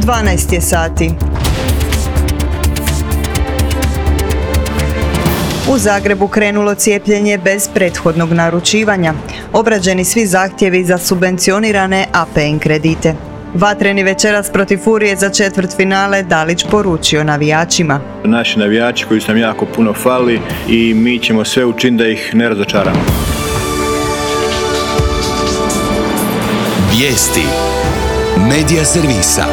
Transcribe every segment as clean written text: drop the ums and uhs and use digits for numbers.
12 je sati. U Zagrebu krenulo cijepljenje bez prethodnog naručivanja. Obrađeni svi zahtjevi za subvencionirane APN kredite. Vatreni večeras protiv Furije za četvrtfinale Dalić poručio navijačima. Naši navijači koji su nam jako puno fali i mi ćemo sve učiniti da ih ne razočaramo. Vijesti Medija servisa.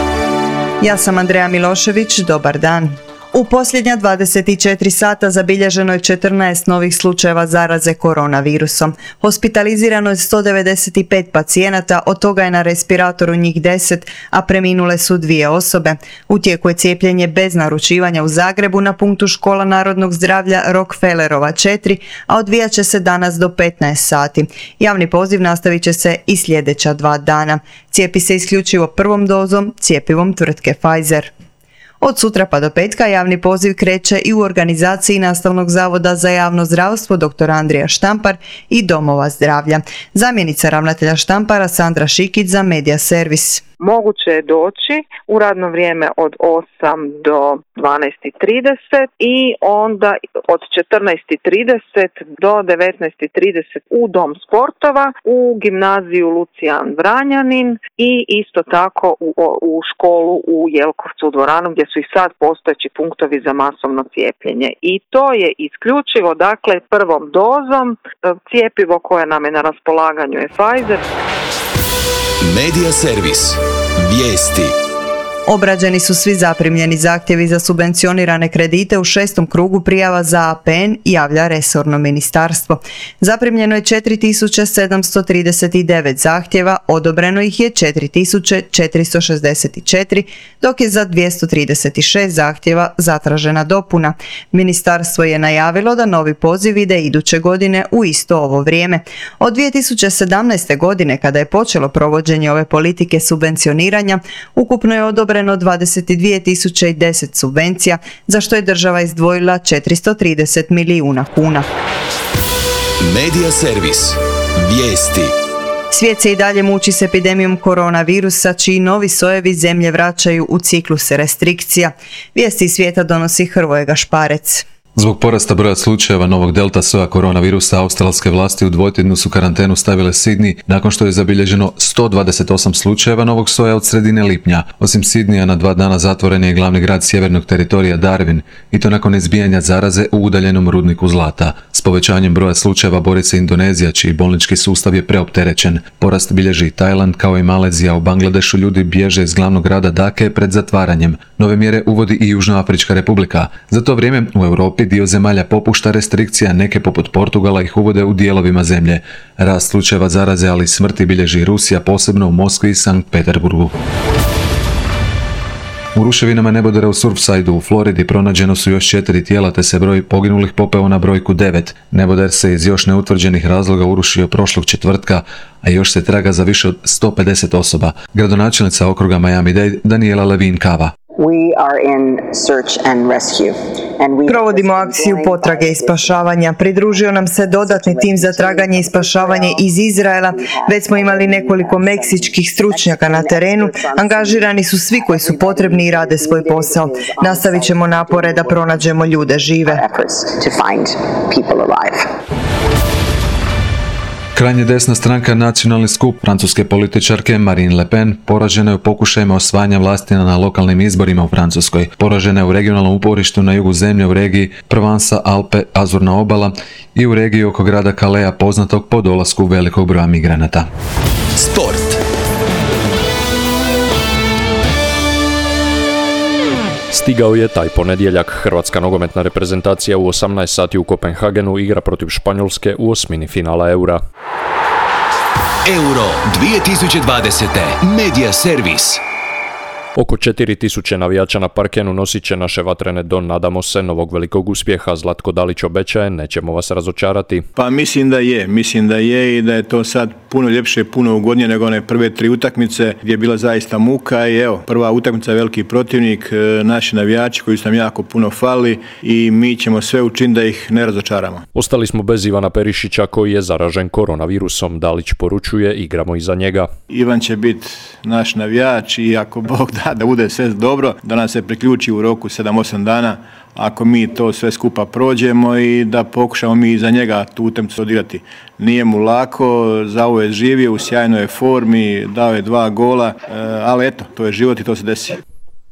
Ja sam Andreja Milošević, dobar dan. U posljednja 24 sata zabilježeno je 14 novih slučajeva zaraze koronavirusom. Hospitalizirano je 195 pacijenata, od toga je na respiratoru njih 10, a preminule su 2 osobe. U tijeku je cijepljenje bez naručivanja u Zagrebu na punktu Škola narodnog zdravlja Rockefellerova 4, a odvijat će se danas do 15 sati. Javni poziv nastavit će se i sljedeća 2 dana. Cijepi se isključivo prvom dozom, cjepivom tvrtke Pfizer. Od sutra pa do petka javni poziv kreće i u organizaciji Nastavnog zavoda za javno zdravstvo dr. Andrija Štampar i domova zdravlja. Zamjenica ravnatelja Štampara Sandra Šikić za Medija servis. Moguće je doći u radno vrijeme od 8 do 12:30 i onda od 14:30 do 19:30 u Dom sportova, u gimnaziju Lucijan Vranjanin i isto tako u školu u Jelkovcu u dvoranu gdje su i sad postojeći punktovi za masovno cijepljenje. I to je isključivo dakle prvom dozom. Cjepivo koje nam je na raspolaganju je Pfizer. Medija servis. Vijesti. Obrađeni su svi zaprimljeni zahtjevi za subvencionirane kredite u 6. krugu prijava za APN, javlja resorno ministarstvo. Zaprimljeno je 4739 zahtjeva, odobreno ih je 4464, dok je za 236 zahtjeva zatražena dopuna. Ministarstvo je najavilo da novi poziv ide iduće godine u isto ovo vrijeme. Od 2017. godine, kada je počelo provođenje ove politike subvencioniranja, ukupno je odobreno 22.010 subvencija, za što je država izdvojila 430 milijuna kuna. Medija servis. Vijesti. Svijet se i dalje muči s epidemijom koronavirusa, čiji novi sojevi zemlje vraćaju u cikluse restrikcija. Vijesti iz svijeta donosi Hrvoje Gašparec. Zbog porasta broja slučajeva novog delta soja koronavirusa, australske vlasti u dvotjednu su karantenu stavile Sidney nakon što je zabilježeno 128 slučajeva novog soja od sredine lipnja. Osim Sidneya, na 2 dana zatvoren je i glavni grad sjevernog teritorija Darwin, i to nakon izbijanja zaraze u udaljenom rudniku zlata. S povećanjem broja slučajeva bori se Indonezija, čiji bolnički sustav je preopterećen. Porast bilježi i Tajland, kao i Malezija. U Bangladešu ljudi bježe iz glavnog grada Dake pred zatvaranjem. Nove mjere uvodi i Južnoafrička republika. Za to vrijeme u Europi dio zemalja popušta restrikcija, neke poput Portugala ih uvode u dijelovima zemlje. Rast slučajeva zaraze, ali i smrti bilježi Rusija, posebno u Moskvi i Sankt Peterburgu. U ruševinama nebodera u Surfsideu u Floridi pronađeno su još 4 tijela, te se broj poginulih popeo na brojku 9. Neboder se iz još neutvrđenih razloga urušio prošlog četvrtka, a još se traga za više od 150 osoba. Gradonačelnica okruga Miami-Dade Daniela Levine Cava. Provodimo akciju potrage i spašavanja. Pridružio nam se dodatni tim za traganje i spašavanje iz Izraela. Već smo imali nekoliko meksičkih stručnjaka na terenu. Angažirani su svi koji su potrebni i rade svoj posao. Nastavit ćemo napore da pronađemo ljude žive. Krajnje desna stranka Nacionalni skup francuske političarke Marine Le Pen poražena je u pokušajima osvajanja vlasti na lokalnim izborima u Francuskoj. Poražena je u regionalnom uporištu na jugu zemlje u regiji Provansa, Alpe, Azurna obala i u regiji oko grada Calais, poznatog po dolasku velikog broja migranata. Sport. Stigao je taj ponedjeljak. Hrvatska nogometna reprezentacija u 18 sati u Kopenhagenu igra protiv Španjolske u osmini finala Eura. Euro 2020. Medija servis. Oko 4000 navijača na parkenu nosit će naše vatrene do, nadamo se, novog velikog uspjeha. Zlatko Dalić obećaje, nećemo vas razočarati. Pa mislim da je i da je to sad puno ljepše, puno ugodnije nego one prve 3 utakmice gdje je bila zaista muka i evo, prva utakmica veliki protivnik, naši navijači koji su nam jako puno fali i mi ćemo sve učiniti da ih ne razočaramo. Ostali smo bez Ivana Perišića koji je zaražen koronavirusom. Dalić poručuje, igramo iza njega. Ivan će biti naš navijač i ako Bog da da bude sve dobro, da nam se priključi u roku 7-8 dana, ako mi to sve skupa prođemo i da pokušamo mi za njega tu utakmicu odigrati. Nije mu lako, za ovo je živio, u sjajnoj je formi, dao je 2 gola, ali eto, to je život i to se desi.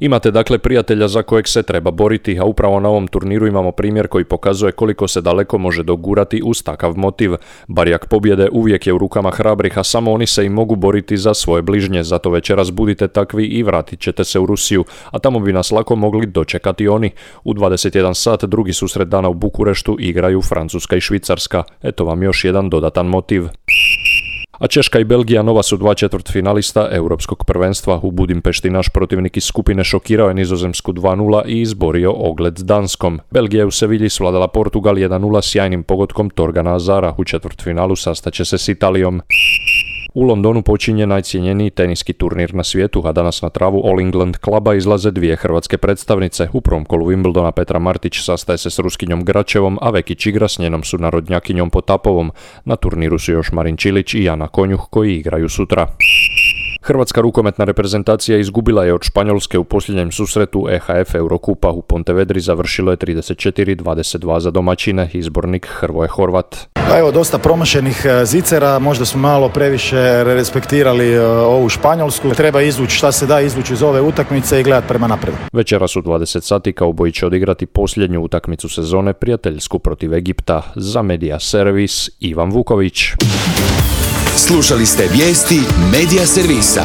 Imate dakle prijatelja za kojeg se treba boriti, a upravo na ovom turniru imamo primjer koji pokazuje koliko se daleko može dogurati uz takav motiv. Barjak pobjede uvijek je u rukama hrabrih, a samo oni se i mogu boriti za svoje bližnje, zato večeras budite takvi i vratit ćete se u Rusiju, a tamo bi nas lako mogli dočekati oni. U 21 sat drugi susret dana u Bukureštu igraju Francuska i Švicarska. Eto vam još jedan dodatan motiv. A Češka i Belgija nova su 2 četvrtfinalista europskog prvenstva. U Budimpešti naš protivnik iz skupine šokirao je Nizozemsku 2-0 i izborio ogled s Danskom. Belgija je u Sevilji svladala Portugal 1-0 sjajnim pogodkom Torgana Azara. U četvrtfinalu sastaće se s Italijom. U Londonu počinje najcjenjeniji teniski turnir na svijetu, a danas na travu All England kluba izlaze 2 hrvatske predstavnice. U prvom kolu Wimbledona Petra Martić sastaje se s Ruskinjom Gračevom, a Vekić igra s njenom sunarodnjakinjom Potapovom. Na turniru su još Marin Čilić i Jana Konjuh koji igraju sutra. Hrvatska rukometna reprezentacija izgubila je od Španjolske u posljednjem susretu EHF Eurokupa. U Pontevedri završilo je 34-22 za domaćine, izbornik Hrvoje Horvat. Evo, dosta promašenih zicera, možda smo malo previše respektirali ovu Španjolsku. Treba izvući šta se da izvući iz ove utakmice i gledati prema naprijed. Večeras u 20 sati kauboji će odigrati posljednju utakmicu sezone, prijateljsku protiv Egipta. Za Media Servis, Ivan Vuković. Slušali ste vijesti Media Servisa.